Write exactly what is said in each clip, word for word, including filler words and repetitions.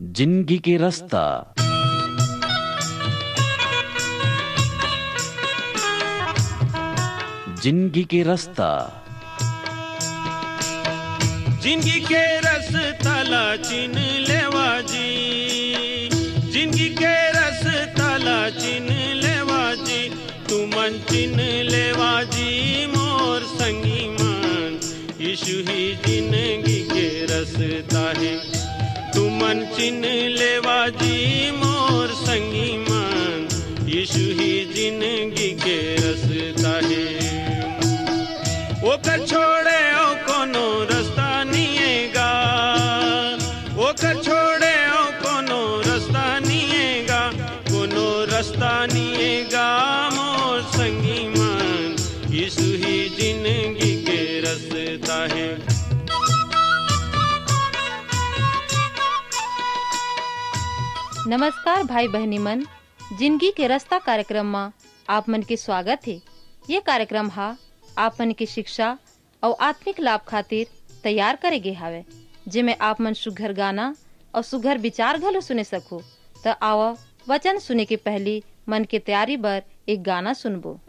जिंदगी के रस्ता। जिंदगी के रस्ता। जिंदगी के रस्ता ला चिन लेवा जी, जिंदगी के रस्ता ला चिन लेवा जी, तुमन चिन लेवा जी मोर संगी मन, यीशु ही जिंदगी के रस्ता हे। तुमन चिन लेवा जी मोर संगी मन, यीशु ही जिंदगी के रस्ता हे। ओकर छोड़े अउ कोनो रस्ता निये गा, ओकर छोड़े अउ कोनो रस्ता निये गा, कोनो रस्ता निये गा मोर संगी मन, यीशु ही जिंदगी के रस्ता हे। नमस्कार भाई बहिनी मन, जिंदगी के रस्ता कार्यक्रम म आप मन के स्वागत हे। ये कार्यक्रम ह आप मन के शिक्षा अउ आत्मिक लाभ खातिर तैयार करे गे हावय, जेमे आप मन सुघर गाना अउ सुघर विचार घलो सुने सकहू। त आवा, वचन सुने के पहिली मन के तैयारी बर एक गाना सुनबो।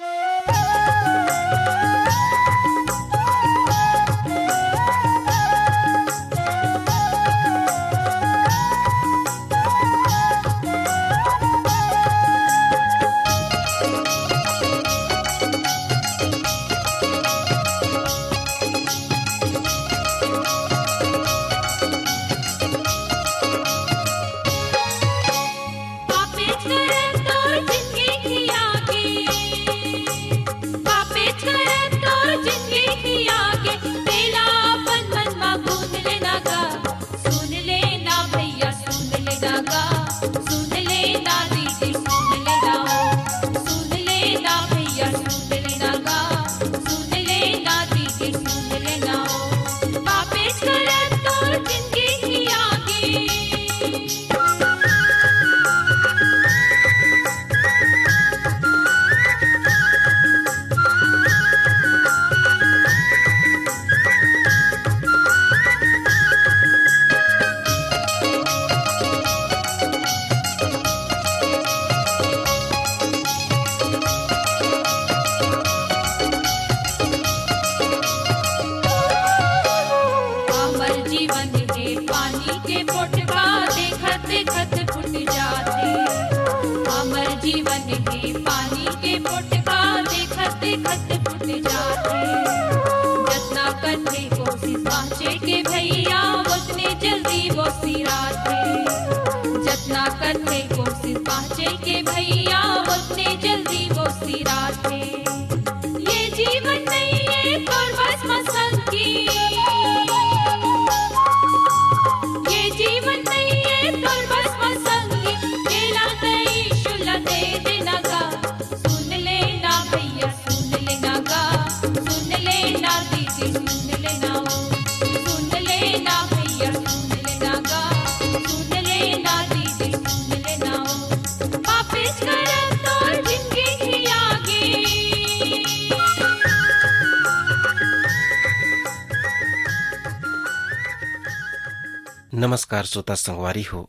नमस्कार श्रोता संगवारी हो,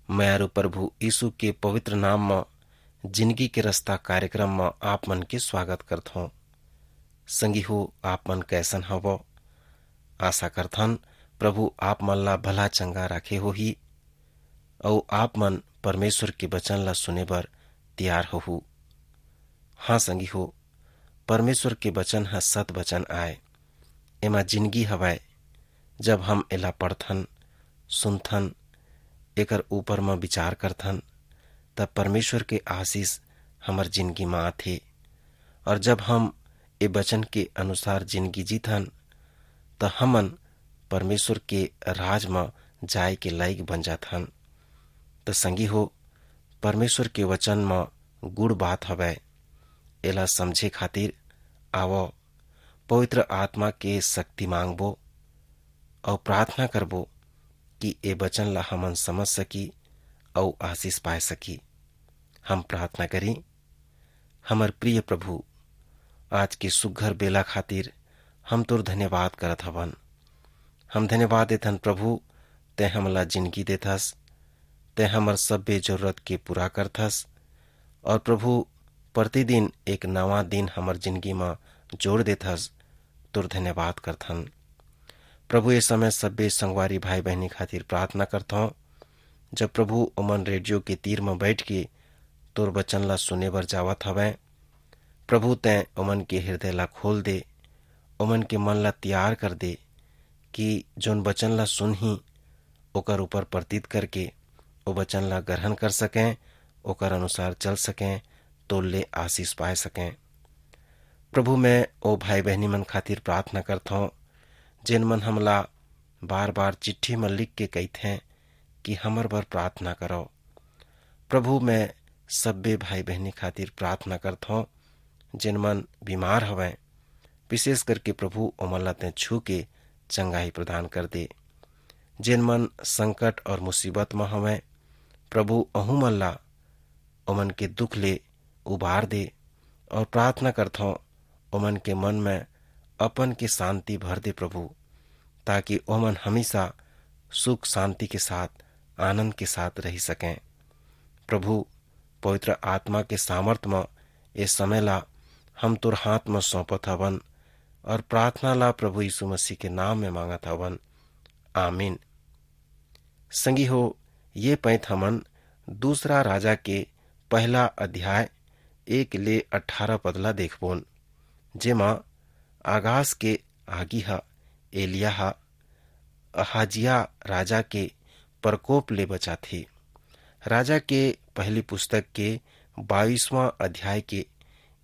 मयारू प्रभु यीशु के पवित्र नाम म जिंदगी के रस्ता कार्यक्रम म आप मन के स्वागत करत हौं। संगी हो, आप मन कैसन हव? आशा करथन प्रभु आप मन ला भला चंगा राखे होही अउ आप मन परमेश्वर के वचन ला सुने बर तैयार होहू। हाँ संगी हो, परमेश्वर के वचन ह सत वचन आय, एमा जिंदगी हवय। जब हम एला पढ़थन, सुनथन, एकर ऊपर म विचार करथन, तब परमेश्वर के आशीष हमर जिंदगी म आथे। और जब हम ए वचन के अनुसार जिंदगी जीथन, त हमन परमेश्वर के राज म जाय के लायक बन जाथन। त संगी हो, परमेश्वर के वचन म गुड़ बात हवय। एला समझे खातिर आवव, पवित्र आत्मा के शक्ति मांगबो अउ प्रार्थना करबो कि ए वचन ला हमन समझ सकी अउ आशीष पाए सकी। हम प्रार्थना करी। हमर प्रिय प्रभु, आज के सुघर बेला खातिर हम तोर धन्यवाद करत हवन। हम धन्यवाद देथन प्रभु, तैं हमला जिंदगी देथस, तैं हमर सब्बे जरूरत के पूरा करथस, और प्रभु, प्रतिदिन एक नवा दिन हमर जिंदगी म जोड़ देथस। तोर धन्यवाद करथन। प्रभु, ये समय सब्बे संगवारी भाई बहनी खातिर प्रार्थना करथौं। जब प्रभु ओमन रेडियो के तीर म बैठ के तोर वचन ला सुने बर जावत हवैं, प्रभु, तैं ओमन के हृदय ला खोल दे, ओमन के मन ला तैयार कर दे, कि जोन वचन ला सुनही, ओकर ऊपर प्रतीत करके ओ वचन ला ग्रहण कर सकें, ओकर अनुसार चल सकें, तोर ले आशीष पाए सकें। प्रभु, मैं ओ भाई बहनी मन खातिर प्रार्थना करथौं, जेन मन हमला बार-बार चिट्ठी म लिख के कहिथें कि हमर बर प्रार्थना करव। प्रभु, मैं सब्बे भाई बहनी खातिर प्रार्थना करथौं, जेन मन बीमार हवैं, विशेष करके प्रभु, ओमन ला तैं छू के चंगाई प्रदान कर दे। जेन मन संकट और मुसीबत म हवैं, प्रभु, ओहू मन ला ओमन के दुख ले उबार दे, और प्रार्थना करथौं, ओमन के मन में अपन के शांति भर दे प्रभु, ताकि ओमन हमेशा सुख शांति के साथ, आनंद के साथ रह सकें। प्रभु, पवित्र आत्मा के सामर्थ म ए समय ला हम तोर हाथ म सौंपत हवन, और प्रार्थना ला प्रभु यीशु मसीह के नाम में मांगत हवन। आमीन। संगी हो, ये पैंत हमन दूसरा राजा के पहला अध्याय एक ले अठारह पद ला देखबोन, जेमा आगास के आगी ह एलिया ह अहाजिया राजा के प्रकोप ले बचाथे। राजा के पहली पुस्तक के बाईसवाँ अध्याय के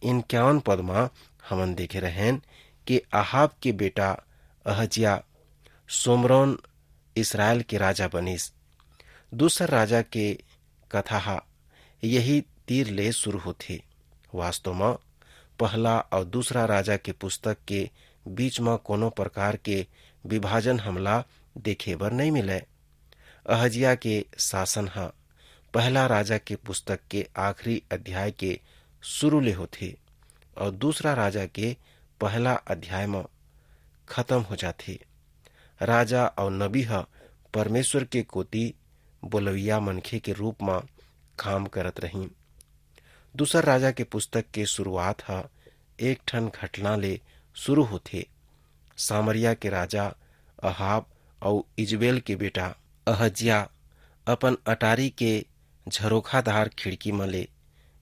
इक्यावन पद म हमन देखे रहेन कि अहाब के बेटा अहजिया सोमरोन इसरायल के राजा बनिस। दूसर राजा के कथा ह यही तीर ले शुरू होथे। वास्तव म पहला अउ दूसरा राजा के पुस्तक के बीच म कोनो प्रकार के विभाजन हमला देखे बर नइ मिलय। अहजिया के शासन ह पहला राजा के पुस्तक के आखिरी अध्याय के शुरू ले होथे अउ दूसरा राजा के पहला अध्याय म खत्म हो जाथे। राजा अउ नबी ह परमेश्वर के कोति बोलवइया मनखे के रूप म काम करत रहिन। दूसर राजा के पुस्तक के शुरुआत ह एक ठन घटना ले शुरू होथे। सामरिया के राजा अहाब अउ इजबेल के बेटा अहजिया अपन अटारी के झरोखादार खिड़की म ले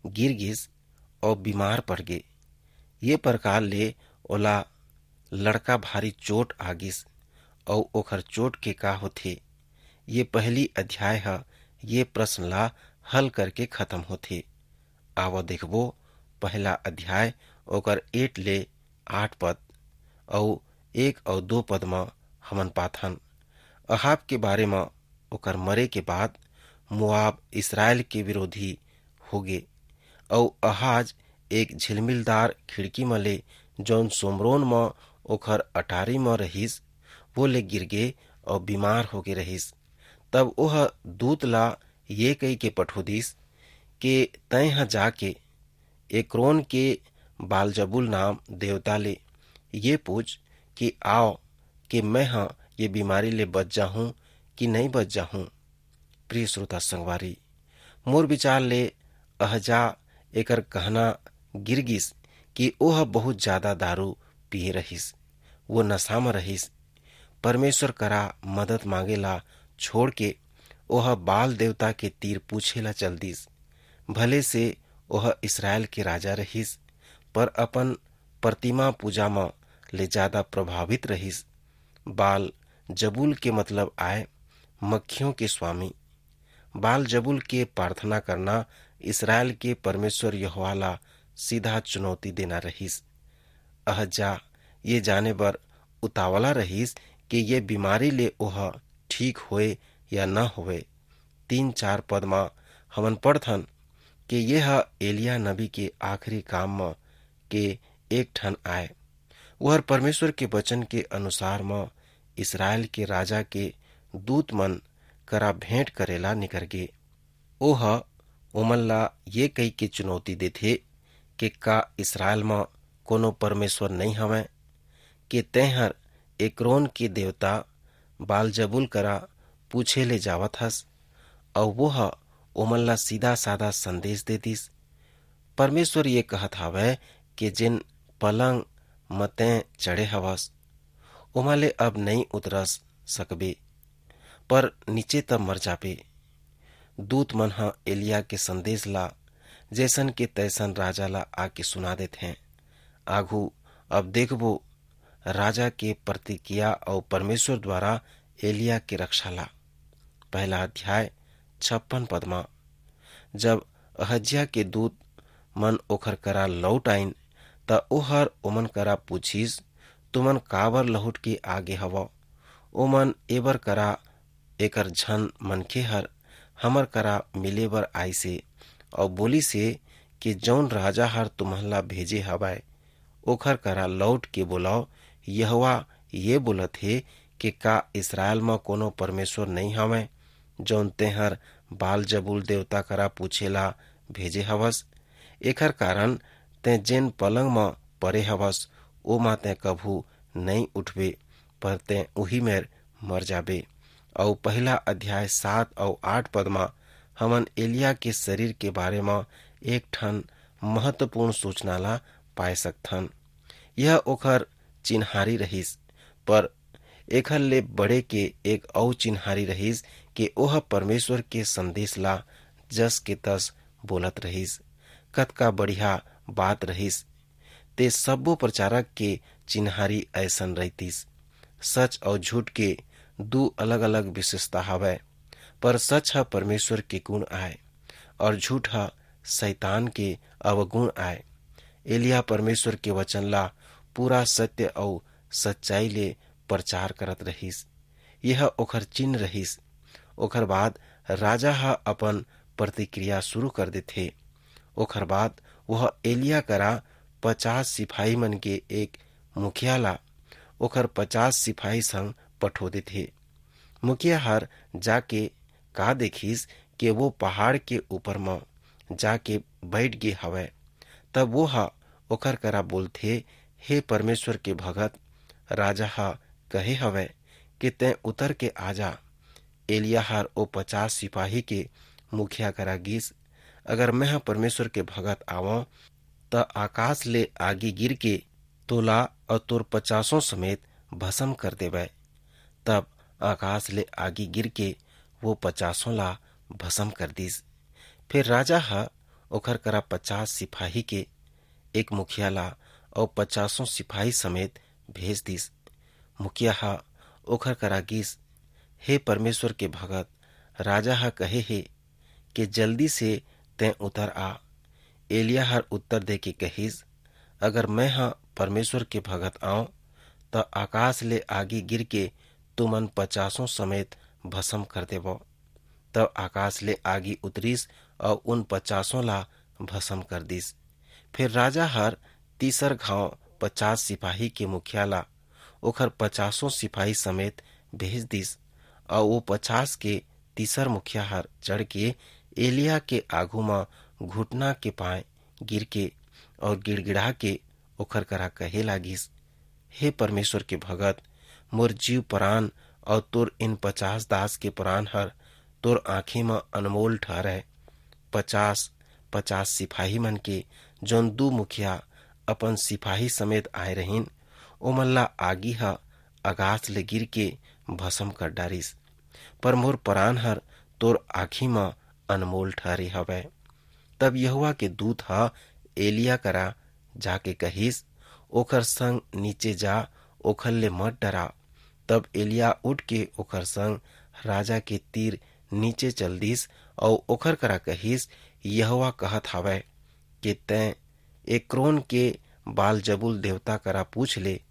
गिर गिस अउ बीमार पड़ गे। ये प्रकार ले ओला लड़का भारी चोट आ गिस, अउ ओखर चोट के का होथे, ये पहली अध्याय ह ये प्रश्न ला हल करके खत्म होथे। आवा देखबो, पहला अध्याय, ओकर एक ले आठ पद अउ एक अउ दो पद म हमन पाथन। अहाब के बारे म, ओकर मरे के बाद मोआब इसरायल के विरोधी होगे, अउ अहाज एक झिलमिलदार खिड़की म ले, जौन सोमरोन म ओखर अटारी म रहिस, वो ले गिरगे अउ बीमार होगे रहिस। तब ओह दूत ला ये कहिके पठो दिस के, "तैं ह जाके एक्रोन के बालजबूल नाम देवता ले ये पूछ कि आव कि मैं ह ये बीमारी ले बच जाहूं कि नइ बच जाहूं।" प्रिय श्रोता संगवारी, मोर विचार ले अहजा एकर कहना गिर गिस कि ओह बहुत ज्यादा दारू पिए रहिस, वो नशा म रहिस। परमेश्वर करा मदद मांगे ला छोड़ के ओह बाल देवता के तीर पूछे ला चल दिस। भले से ओह इसरायल के राजा रहिस, पर अपन प्रतिमा पूजा म ले ज्यादा प्रभावित रहिस। बाल जबूल के मतलब आय मक्खियों के स्वामी। बाल जबूल के प्रार्थना करना इसरायल के परमेश्वर यहोवा ला सीधा चुनौती देना रहिस। अहज्जा ये जाने बर उतावला रहिस कि ये बीमारी ले ओह ठीक होए या न होए। तीन चार पद म हमन पढ़थन कि ये ह एलिया नबी के आखिरी काम म के एक ठन आय। ओहर परमेश्वर के वचन के अनुसार म इसरायल के राजा के दूत मन करा भेंट करे ला निकर गे। ओह ओमन ला ये कहि के चुनौती देथे कि का इसरायल म कोनो परमेश्वर नइ हवय? के तेंहर एक्रोन के देवता बालजबूल करा पूछे ले जावत हस, अऊ वो ह ओमन ला सीधा-साधा संदेश दे दिस, "परमेश्वर ये कहत हावय कि जेन पलंग म तैं चढ़े हवस, ओमा ले अब नइ उतरस सकबे, पर नीचे त मर जाबे।" दूत मन ह एलिया के संदेश ला जैसन के तैसन राजा ला आके सुना देत हैं। आघू अब देखबो राजा के प्रतिक्रिया अऊ परमेश्वर द्वारा एलिया के रक्षा ला। पहला अध्याय छप्पन पद म, जब अहज्या के दूत मन ओखर करा लौट आइन, त ओहर ओमन करा पूछिस, "तुमन काबर लहुट के आगे हवव?" ओमन एबर करा, "एकर झन मनखे हर हमर करा मिले बर आइसे, अऊ बोलिसे कि जऊन राजा हर तुमन ला भेजे हवय, ओखर करा लौट के बोलव, यहोवा ये बोलत हे कि का इसरायल म कोनो परमेश्वर नइं हवय, जऊन तेंहर बाल जबूल देवता करा पूछे ला भेजे हवस? एखर कारन तें जेन पलंग म परे हवस, ओमा तें कभू नइं उठबे, पर तें उही मेर मर जाबे।" अऊ पहला अध्याय सात अऊ आठ पद म हमन एलिया के शरीर के बारे म एक ठन महत्वपूर्ण सूचना ला पाए सकथन। यह ओखर चिन्हारी रहिस, पर एखर ले बड़े के एक अऊ चिन्हारी रहिस कि ओह परमेश्वर के संदेश ला जस के तस बोलत रहिस। कतका बढ़िया बात रहिस। ते सब्बो प्रचारक के चिन्हारी अइसन रहितिस। सच अऊ झूठ के दू अलग-अलग विशेषता हवय, पर सच ह परमेश्वर के गुण आय, अऊ झूठ ह शैतान के अवगुण आय। एलिया परमेश्वर के वचन ला पूरा सत्य अऊ सच्चाई ले प्रचार करत रहिस। यह ओखर चिन्ह रहिस। ओखर बाद राजा ह अपन प्रतिक्रिया शुरू कर देथे। ओखर बाद वह एलिया करा पचास सिपाही मन के एक मुखिया ला ओखर पचास सिपाही संग पठो देथे। मुखिया हर जाके का देखिस कि वो पहाड़ के ऊपर म जाके बैठ गे हवय। तब वो ह ओखर करा बोलथे, "हे परमेश्वर के भगत, राजा ह कहे हवय कि तैं उतर के आ जा।" एलिया हर ओ पचास सिपाही के मुखिया करा गिस, "अगर मैं ह परमेश्वर के भगत आवं, त आकाश ले आगी गिर के तोला अऊ तोर पचासों समेत भस्म कर देवय।" तब आकाश ले आगी गिर के वो पचासों ला भस्म कर दिस। फिर राजा ह ओखर करा पचास सिपाही के एक मुखिया ला अऊ पचासों सिपाही समेत भेज दिस। मुखिया ह ओखर करा गिस, "हे परमेश्वर के भगत, राजा ह कहे हे के जल्दी से तैं उतर आ।" एलिया हर उत्तर देके कहिस, "अगर मैं ह परमेश्वर के भगत आंव, त आकाश ले आगी गिर के तुमन पचासों समेत भस्म कर देवव।" तब आकाश ले आगी उतरिस अऊ उन पचासों ला भस्म कर दिस। फिर राजा हर तीसर घांव पचास सिपाही के मुखिया ला ओखर पचासों सिपाही समेत भेज दिस, अऊ वो पचास के तीसर मुखिया हर चढ़ के एलिया के आगू म घुटना के पांय गिर के अऊ गिड़गिड़ा के ओखर करा कहे लागिस, "हे परमेश्वर के भगत, मोर जीव परान अऊ तोर इन पचास दास के परान हर तोर आंखी म अनमोल ठहरय।" पचास, पचास सिपाही मन के जौन दू मुखिया अपन सिपाही समेत आए रहिन, ओमन ला आगी ह अगास ले गिर के भस्म कर डारिस, पर मोर परान हर तोर आंखी म अनमोल ठहरे हवय। तब यहोवा के दूत ह एलिया करा जाके कहिस, "ओखर संग नीचे जा, ओखर ले मत डरा।" तब एलिया उठ के ओखर संग राजा के तीर नीचे चल दिस, अऊ ओखर करा कहिस, "यहोवा कहत हवय के तैं एक्रोन के बालजबूल देवता करा पूछ ले,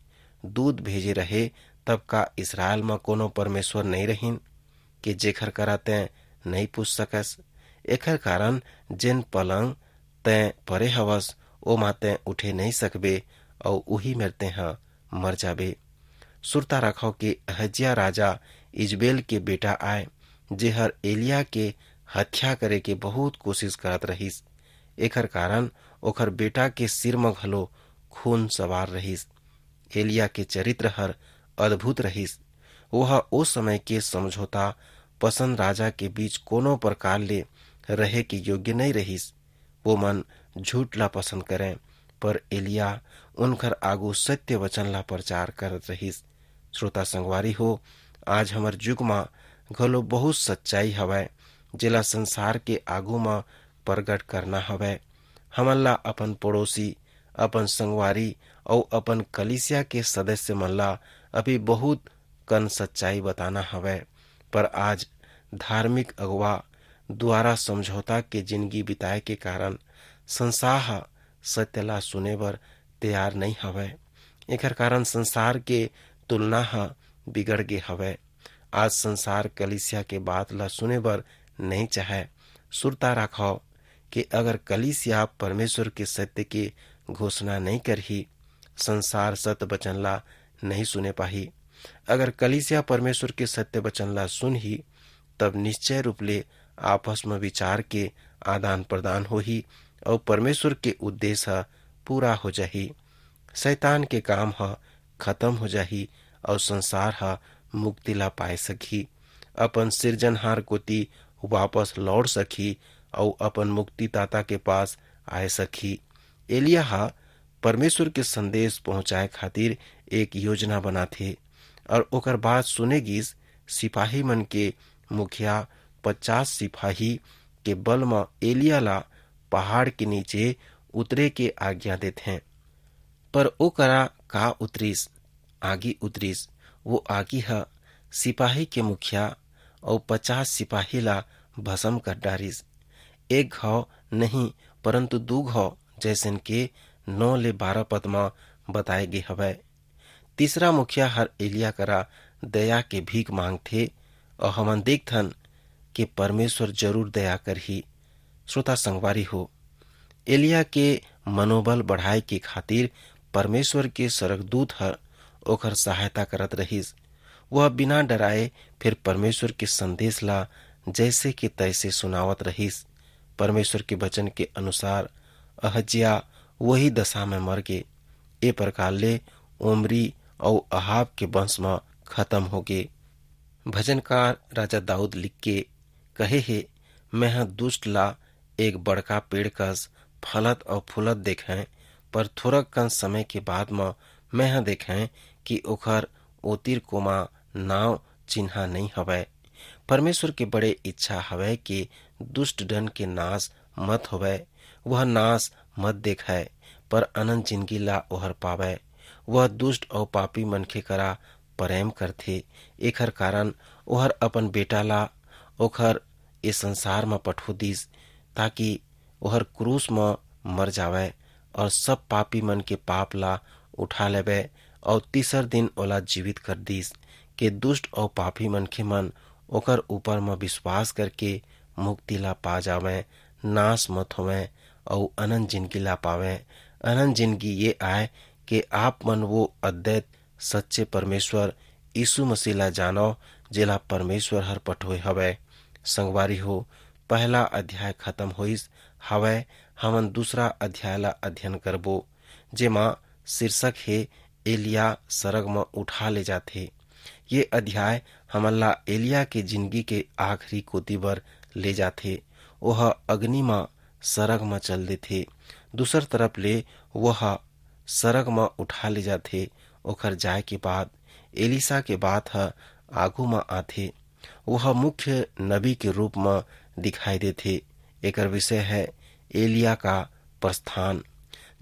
दूत भेजे रहे, तब का इसरायल म कोनो परमेश्वर नइं रहिन, के जेखर करा तैं नइं पूछ सकस? एखर कारन जेन पलंग तैं परे हवस, ओमा तैं उठे नइं सकबे, अऊ उही मेर तेंह मर जाबे।" सुरता राखव के अहज्या राजा इजबेल के बेटा आय, जेहर एलिया के हत्या करे के बहुत कोशिश करत रहिस। एखर कारन ओखर बेटा के सिर म घलो खून सवार रहिस। एलिया के चरित्र हर अद्भुत रहिस। ओह ओ समय के समझौता पसंद राजा के बीच कोनो प्रकार ले रहे के योग्य नइ रहिस। वो मन झूठ ला पसंद करें, पर एलिया उनकर आगू सत्य वचन ला प्रचार करत रहिस। श्रोता संगवारी हो, आज हमर युग म घलो बहुत सच्चाई हवय, जेला संसार के आगू म प्रगट करना हवय। हमन ला अपन पड़ोसी, अपन संगवारी अउ अपन कलीसिया के सदस्य मन ला अभी बहुत कन सच्चाई बताना हवय, पर आज धार्मिक अगुवा द्वारा समझौता के जिनगी बिताए के कारण संसार ह सत्य ला सुने बर तैयार नइ हवय। एखर कारण संसार के तुलना ह बिगड़ गे हवय। आज संसार कलीसिया के बात ला सुने बर नइ चाहय। सुरता राखव कि अगर कलीसिया परमेश्वर के सत्य के घोषणा नइ करही, संसार सत्य वचन ला नइ सुने पाही। अगर कलीसिया परमेश्वर के सत्य वचन ला सुनही, तब निश्चय रूप ले आपस म विचार के आदान प्रदान होही अउ परमेश्वर के उद्देश्य ह पूरा हो जाही। शैतान के काम ह खत्म हो जाही अउ संसार ह मुक्ति ला पाए सकही, अपन सिरजनहार कोति वापस लौट सकही अउ अपन मुक्तिदाता के पास आए सकही। एलिया ह परमेश्वर के संदेश पहुंचाए खातिर एक योजना बनाथे अउ ओकर बात सुने गिस। सिपाही मन के मुखिया पचास सिपाही के बल म एलिया ला पहाड़ के नीचे उतरे के आज्ञा देथे, पर ओ करा का उतरिस? आगी उतरिस। वो आगी ह सिपाही के मुखिया अउ पचास सिपाही ला भस्म कर डारिस। एक घाव नहीं, परंतु दू घाव, जैसन के नौ ले बारह पद म बताए गे हवय। तीसरा मुखिया हर एलिया करा दया के भीख मांगथे, अउ हमन देखथन के परमेश्वर जरूर दया करही। श्रोता संगवारी हो, एलिया के मनोबल बढ़ाए के खातिर परमेश्वर के सरगदूत हर ओकर सहायता करत रहिस। वह बिना डराए फिर परमेश्वर के संदेश ला जैसे के तैसे सुनावत रहिस। परमेश्वर के वचन के अनुसार अहज्या वही दशा में मर गे। ए प्रकार ले ओमरी अउ अहाब के वंश म खत्म हो गे। भजनकार राजा दाऊद लिख के कहे हे, "मैं ह दुष्ट ला एक बड़का पेड़ कस फलत अउ फूलत देखें, पर थोरक कन समय के बाद म मैं ह देखें कि ओखर ओतिर कोमा नाव चिन्हा नइ हवय।" परमेश्वर के बड़े इच्छा हवय कि दुष्ट डन के नाश मत होवय, वह नाश मत देखय, पर अनंत जिनगी ला ओहर पावय। वह दुष्ट अउ पापी मनखे करा प्रेम करथे, एखर कारण ओहर अपन बेटा ला ओखर ए संसार म पठो दिस, ताकि ओहर क्रूस म मर जावय अउ सब पापी मन के पाप ला उठा लेवय अउ तीसर दिन ओला जीवित कर दिस, के दुष्ट अउ पापी मनखे मन ओकर ऊपर म विश्वास करके मुक्ति ला पा जावय, नाश मत होवय अउ अनंत जिनगी ला पावय। अनंत जिनगी ये आय के आप मन वो अद्वैत सच्चे परमेश्वर यीशु मसीह ला जानव, जेला परमेश्वर हर पठोय हवय। संगवारी हो, पहला अध्याय खत्म होइस हवय, हमन दूसरा अध्याय ला अध्ययन करबो, जेमा शीर्षक हे एलिया सरग म उठा ले जाथे। ये अध्याय हमन ला एलिया के जिनगी के आखिरी कोति बर ले जाथे। ओह अग्नि म सरग म चल देथे। दूसर तरफ ले वह सरग म उठा ले जाथे। ओखर जाय के बाद एलीसा के बात ह आगू म आथे। वह मुख्य नबी के रूप म दिखाई देथे। एकर विषय है एलिया का प्रस्थान।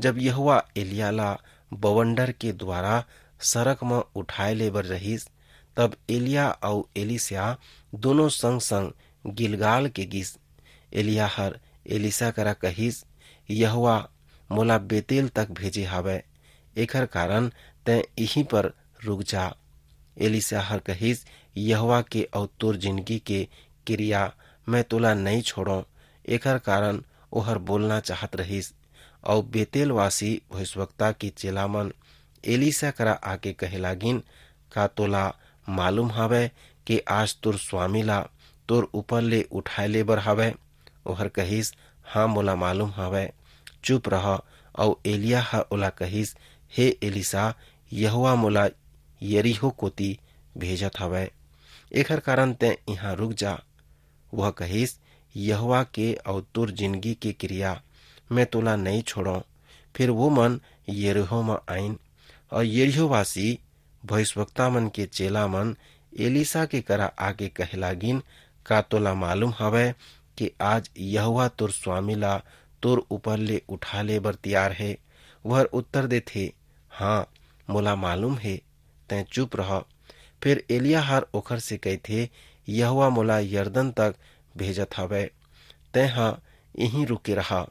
जब यहोवा एलिया ला बवंडर के द्वारा सरग म उठाए ले बर रहिस, तब एलिया अउ एलीसा दोनों संग-संग गिलगाल के गिस। एलिया हर एलीसा करा कहिस, "यहोवा मोला बेतेल तक भेजे हावय, एखर कारण तैं इहीं पर रुक जा।" एलीसा हर कहिस, "यहोवा के अउ तोर जिनगी के किरिया मैं तोला नइ छोड़ों।" एखर कारण ओहर बोलना चाहत रहिस। अउ बेतेलवासी भविष्यवक्ता के चेलामन एलीसा करा आके कहे लागिन, "का तोला मालूम हवय के आज तोर स्वामी ला तोर ऊपर ले उठाए ले बर हवय?" ओहर कहिस, "हाँ, मोला मालूम हवय।" चुप रह। अउ एलिया ह ओला कहिस, "हे एलीसा, यहोवा मोला यरीहो कोति भेजत हवय।" एखर कारण तैं इहां रुक जा।" वह कहिस, "यहोवा के अऊ तोर जिनगी के किरिया, मैं तोला नइं छोड़ों।" फिर वो मन यरीहो म आइन, अऊ यरीहोवासी भविष्यवक्ता मन के चेला मन एलीसा के करा आके कहे लागिन, "का तोला मालूम हवय कि आज यहोवा तोर स्वामी ला तोर ऊपर ले उठा ले बर तियार हे?" वह उत्तर देथे, "हाँ, मोला मालूम हे, तैं चुप रह।" फिर एलिया हर ओखर से कहिथे, "यहोवा मोला यरदन तक भेजत हवय, तैं ह इहीं रुके रहा।"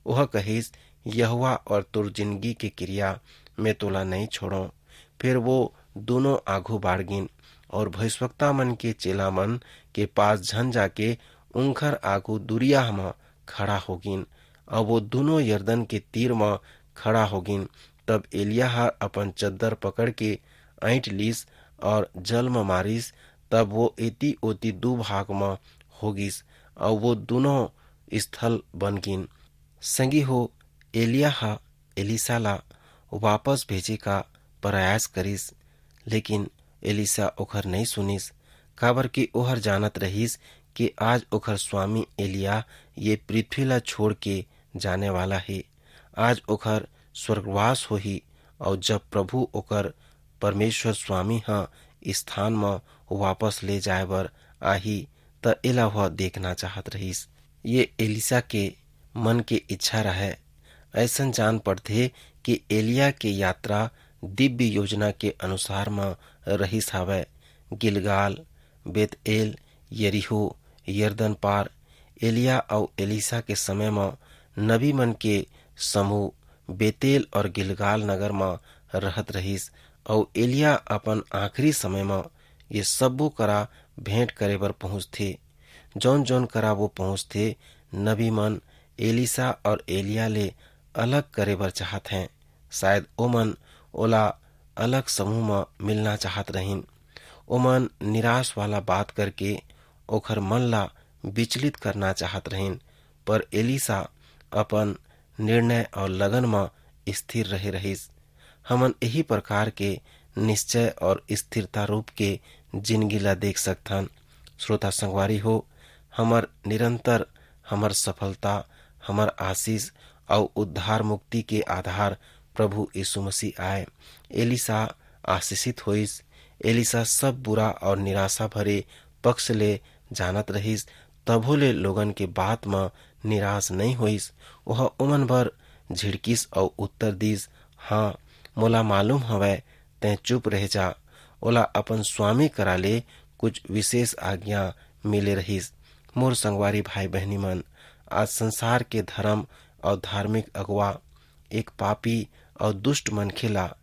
ओह कहिस, "यहोवा और तोर जिनगी के किरिया, मैं तोला नइं छोड़ों।" फिर वो दूनों आघू बाढ़ गिन और भविष्यवक्ता मन के चेला मन के पास झन जाके उंखर आघू दुरिया म खड़ा हो गिन, अऊ वो दूनों यरदन के तीर म खड़ा हो गिन। तब एलिया ह अपन चद्दर पकड़ के ऐंठ लीस और जल म मारिस, तब वो एती ओती दू भाग म हो गिस, अऊ वो दूनों स्थल बन गिन। संगी हो, एलिया ह एलीसा ला वापस भेजे का प्रयास करिस, लेकिन एलीसा ओखर नइं सुनिस, काबर कि ओहर जानत रहिस कि आज ओखर स्वामी एलिया ये पृथ्वी ला छोड़ के जाने वाला हे। आज ओखर स्वर्गवास होही, अऊ जब प्रभु ओकर परमेश्वर स्वामी ह स्थान म वापस ले जाए बर आही, त एला वह देखना चाहत रहिस। ये एलीसा के मन के इच्छा रहय। अइसन जान पड़थे कि एलिया के यात्रा दिव्य योजना के अनुसार म रहिस हावय। गिलगाल, बेतएल, यरीहो, यरदन पार। एलिया अऊ एलीसा के समय म नबी मन के समूह बेतेल और गिलगाल नगर म रहत रहिस, अऊ एलिया अपन आखिरी समय म ये सब्बो करा भेंट करे बर पहुंचथे। जौन-जौन करा वो पहुंचथे, नबी मन एलीसा और एलिया ले अलग करे बर चाहत हैं। शायद ओमन ओला अलग समूह म मिलना चाहत रहिन। ओमन निराश वाला बात करके ओखर मन ला विचलित करना चाहत रहिन, पर एलीसा अपन निर्णय और लगन म स्थिर रहे रहिस। हमन यही प्रकार के निश्चय और स्थिरता रूप के जिंदगी ला देख सकथन। श्रोता संगवारी हो, हमर निरंतर, हमर सफलता, हमर आशीष अउ उद्धार मुक्ति के आधार प्रभु यीशु मसीह आय। एलीसा आशीषित होइस। एलीसा सब बुरा और निराशा भरे पक्ष ले जानत रहिस, तभो ले लोगन के बात म निराश नइ होइस। ओह ओमन बर झिड़किस अउ उत्तर दिस, "हाँ, मोला मालूम हवय, तैं चुप रह जा।" ओला अपन स्वामी करा ले कुछ विशेष आज्ञा मिले रहिस। मोर संगवारी भाई बहिनी मन, आज संसार के धर्म अउ धार्मिक अगुवा एक पापी अउ दुष्ट मनखे ला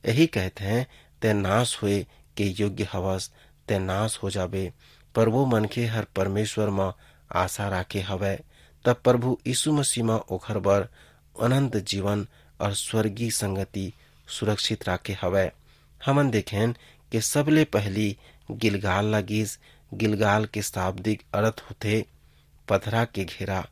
यही कहत हैं, "तैं नाश होए के योग्य हवस, तैं नाश हो जाबे।" पर वो मनखे हर परमेश्वर म आशा राखे हवय, तब प्रभु यीशु मसीह म ओखर बर अनंत जीवन और स्वर्गीय संगति सुरक्षित राखे हवय। हमन देखेन के सबले पहली गिलगाल ला गीस। गिलगाल के शाब्दिक अर्थ होथे पथरा के घेरा।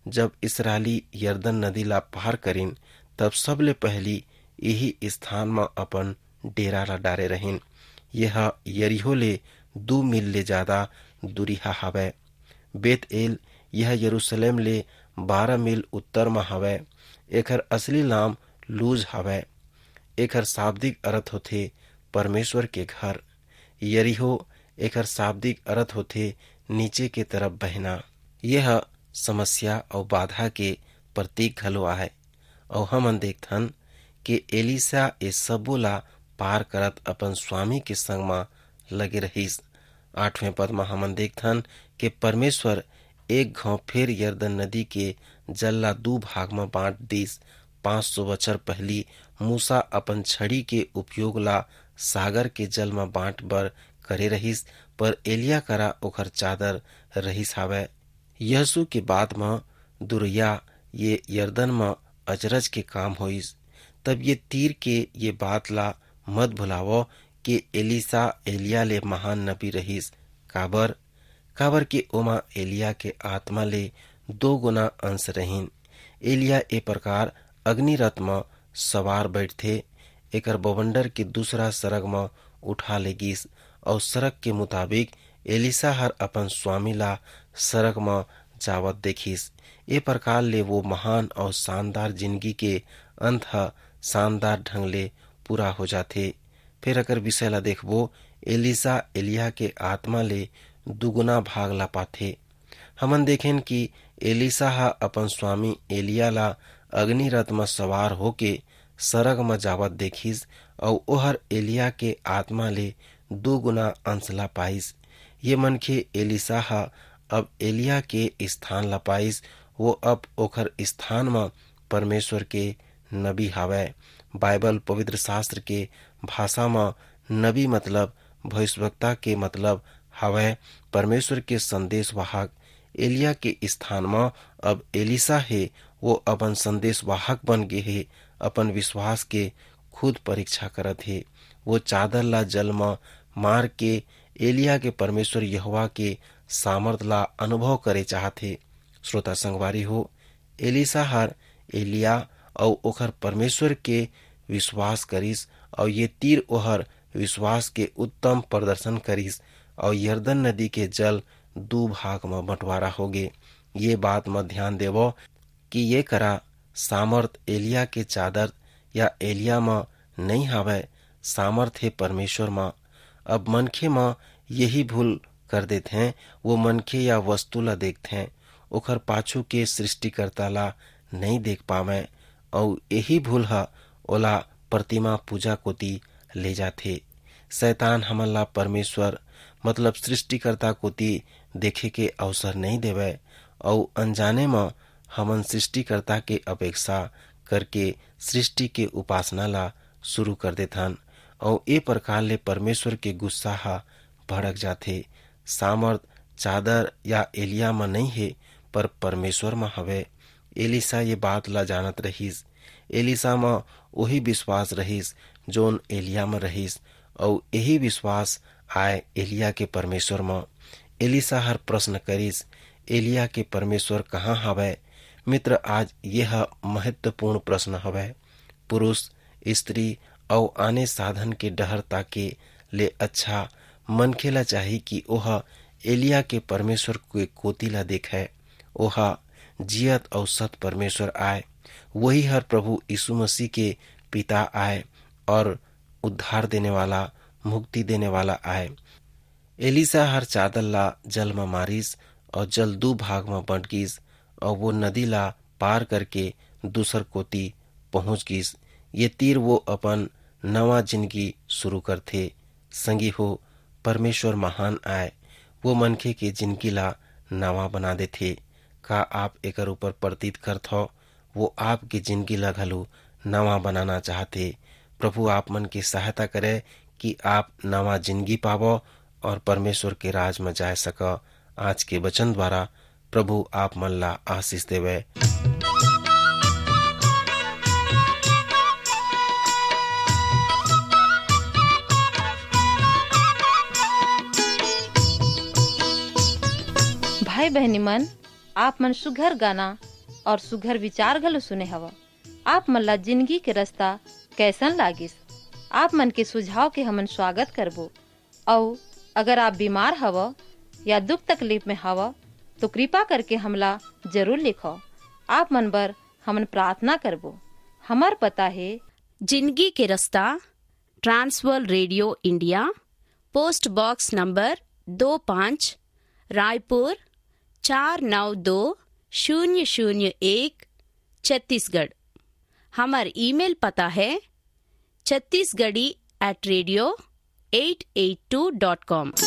जब इसराइली यरदन नदी ला पार करिन, तब सबले पहली यही स्थान म अपन डेरा ला डारे रहिन। यह यरीहो ले दू मील ले जादा दूरिहा हवय। बेतएल, यह यरूशलेम ले बारह मील उत्तर म हवय। एखर असली नाम लूज हवय। एखर शाब्दिक अर्थ होथे परमेश्वर के घर। यरीहो, एखर शाब्दिक अर्थ होथे नीचे के तरफ बहना। यह समस्या अउ बाधा के प्रतीक घलो आय। अउ हमन देखथन के एलीसा ए सबो ला पार करत अपन स्वामी के संग म लगे रहिस। आठवें पद म हमन देखथन के परमेश्वर एक घांव फेर यरदन नदी के जल ला दू भाग म बांट दिस। पाँच सौ बछर पहिली मूसा अपन छड़ी के उपयोग ला सागर के जल म बांट बर करे रहिस, पर एलिया करा ओखर चादर रहिस हावय। यहोशू के बाद म दुरिहा ये यरदन म अचरज के काम होइस। तब ये तीर के ये बात ला मत भुलावव के एलीसा एलिया ले महान नबी रहिस। काबर? काबर के ओमा एलिया के आत्मा ले दो गुना अंश रहिन। एलिया ए प्रकार अग्नि रथ म सवार बैठथे, एकर बवंडर के दूसरा सरग म उठा ले गिस, अउ सरग के मुताबिक एलिसा हर अपन स्वामी ला सरग म जावत देखिस। ए प्रकार ले वो महान अउ शानदार जिंदगी के अंत ह शानदार ढंग ले पूरा हो जाथे। फेर अगर विषय ला देखबो, एलिसा एलिया के आत्मा ले दुगुना भाग ला पाथे। हमन देखेन कि एलिसा ह अपन स्वामी एलिया ला अग्नि रथ म सवार होके सरग म जावत देखिस, अउ ओहर एलिया के आत्मा ले दू गुना अंश ला पाइस। ये मनखे एलिसा ह अब एलिया के स्थान ला पाइस, वो अब ओखर स्थान म परमेश्वर के नबी हावय। बाइबल पवित्र शास्त्र के भाषा म नबी मतलब भविष्यवक्ता के मतलब हावय परमेश्वर के संदेशवाहक। एलिया के स्थान म अब एलिसा हे, वो अपन संदेशवाहक बन गे हे, अपन विश्वास के खुद परीक्षा करत हे। वो चादर ला जल म मार के एलिया के परमेश्वर यहोवा के सामर्थ ला अनुभव करे चाहत हे। श्रोता संगवारी हो, एलिसा हर एलिया अउ ओखर परमेश्वर के विश्वास करिस, अउ ये तीर ओहर विश्वास के उत्तम प्रदर्शन करिस, अउ यरदन नदी के जल दू भाग म बंटवारा होगे। ये बात म ध्यान देवो कि ये करा सामर्थ एलिया के चादर या एलिया म नइ हावय, सामर्थ हे परमेश्वर म। अब मनखे म यही भूल कर देथें, वो मनखे या वस्तु ला देखथें, ओखर पाछू के सृष्टिकर्ता ला नइ देख पावंय, अउ यही भूल ह ओला प्रतिमा पूजा कोति ले जाथे। शैतान हमन ला परमेश्वर मतलब सृष्टिकर्ता कोति देखे के अवसर नइ देवय, अउ अनजाने म हमन सृष्टिकर्ता के अपेक्षा करके सृष्टि के उपासना ला शुरू कर देथन, अउ ए प्रकार ले परमेश्वर के गुस्सा ह भड़क जाथे। सामर्थ चादर या एलिया म नइ हे, पर परमेश्वर म हवय। एलिसा ये बात ला जानत रहिस। एलिसा म ओही विश्वास रहिस, जोन एलिया म रहिस, अउ यही विश्वास आय एलिया के परमेश्वर म। एलिसा हर प्रश्न करिस, "एलिया के परमेश्वर कहाँ हवय?" मित्र, आज यह महत्वपूर्ण प्रश्न हवय। पुरुष, स्त्री अउ आने साधन के डहर ताके ले अच्छा मनखे ला चाही कि ओह एलिया के परमेश्वर के कोति ला देखय। ओह जियत अउ सत परमेश्वर आय। वही हर प्रभु यीशु मसीह के पिता आय और उद्धार देने वाला, मुक्ति देने वाला आय। एलिसा हर चादर ला जल म मारिस और जल दू भाग म बंट गिस और वो नदी ला पार करके दूसर कोति पहुंच गिस। ये तीर वो अपन नवा जिंदगी शुरू करथे। संगी हो, परमेश्वर महान आय, वो मनखे के जिंदगी ला नवा बना देथे। का आप एकर ऊपर प्रतीत करत हव? वो आपके जिंदगी ला घलो नवा बनाना चाहथे। प्रभु आप मन के सहायता करे कि आप नवा जिंदगी पावो और परमेश्वर के राज म जाय सको। आज के वचन द्वारा प्रभु आप मन ला आशीष देवे। भाई बहनी मन, आप मन सुघर गाना और सुघर विचार घलो सुने हव। आप मन ला जिंदगी के रास्ता कैसन लागिस? आप मन के सुझाव के हमन स्वागत करबो। अउ अगर आप बीमार हव या दुख तकलीफ में हव, तो कृपा करके हमला जरूर लिखो। आप मन बर हमन प्रार्थना करबो। हमर पता हे। जिंदगी के रास्ता, Trans World radio India, post box number दो पाँच, रायपुर चार नौ दो शून्य शून्य एक, छत्तीसगढ़। हमर ईमेल पता हे Chhattisgarhi at radio eight eight two dot com।